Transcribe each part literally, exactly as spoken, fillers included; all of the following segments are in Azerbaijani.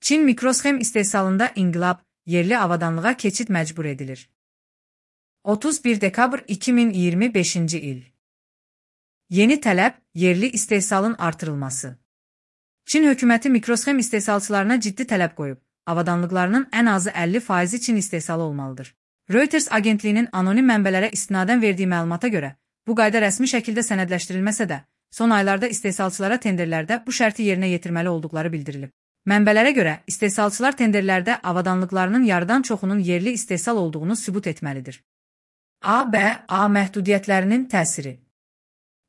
Çin mikrosxem istehsalında inqilab, yerli avadanlığa keçid məcbur edilir. otuz bir dekabr iki min iyirmi beşinci il. Yeni tələb, yerli istehsalın artırılması. Çin hökuməti mikrosxem istehsalçılarına ciddi tələb qoyub, avadanlıqlarının ən azı əlli faizi Çin istehsalı olmalıdır. Reuters agentliyinin anonim mənbələrə istinadən verdiyi məlumata görə, bu qayda rəsmi şəkildə sənədləşdirilməsə də, son aylarda istehsalçılara tenderlərdə bu şərti yerinə yetirməli olduqları bildirilib. Mənbələrə görə, istehsalçılar tenderlərdə avadanlıqlarının yarıdan çoxunun yerli istehsal olduğunu sübut etməlidir. A B A məhdudiyyətlərinin təsiri.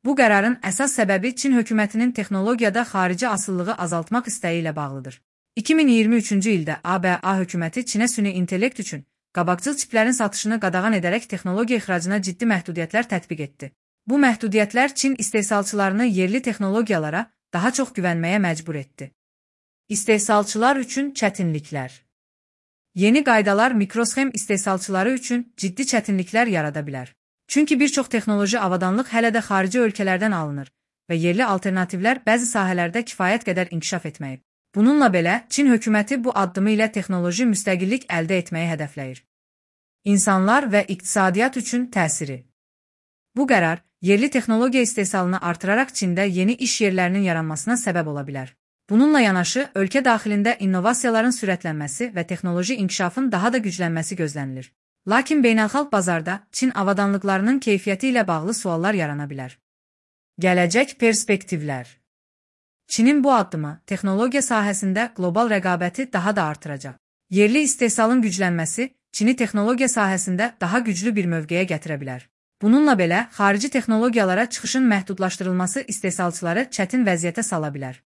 Bu qərarın əsas səbəbi Çin hökumətinin texnologiyada xarici asılılığı azaltmaq istəyi ilə bağlıdır. iki min iyirmi üçüncü ildə A B A hökuməti Çinə süni intellekt üçün qabaqcıl çiplərin satışını qadağan edərək texnologiya ixracına ciddi məhdudiyyətlər tətbiq etdi. Bu məhdudiyyətlər Çin istehsalçılarını yerli texnologiyalara daha çox güvənməyə məcbur etdi. İstehsalçılar üçün çətinliklər. Yeni qaydalar mikrosxem istehsalçıları üçün ciddi çətinliklər yarada bilər. Çünki bir çox texnoloji avadanlıq hələ də xarici ölkələrdən alınır və yerli alternativlər bəzi sahələrdə kifayət qədər inkişaf etməyib. Bununla belə, Çin hökuməti bu addımı ilə texnoloji müstəqillik əldə etməyi hədəfləyir. İnsanlar və iqtisadiyyat üçün təsiri. Bu qərar, yerli texnologiya istehsalını artıraraq Çində yeni iş yerlərinin yaranmasına səbəb ola bilər. Bununla yanaşı, ölkə daxilində innovasiyaların sürətlənməsi və texnoloji inkişafın daha da güclənməsi gözlənilir. Lakin beynəlxalq bazarda Çin avadanlıqlarının keyfiyyəti ilə bağlı suallar yarana bilər. Gələcək perspektivlər. Çinin bu addımı texnologiya sahəsində qlobal rəqabəti daha da artıracaq. Yerli istehsalın güclənməsi Çini texnologiya sahəsində daha güclü bir mövqeyə gətirə bilər. Bununla belə, xarici texnologiyalara çıxışın məhdudlaşdırılması istehsalçıları çətin vəziyyətə sala bilər.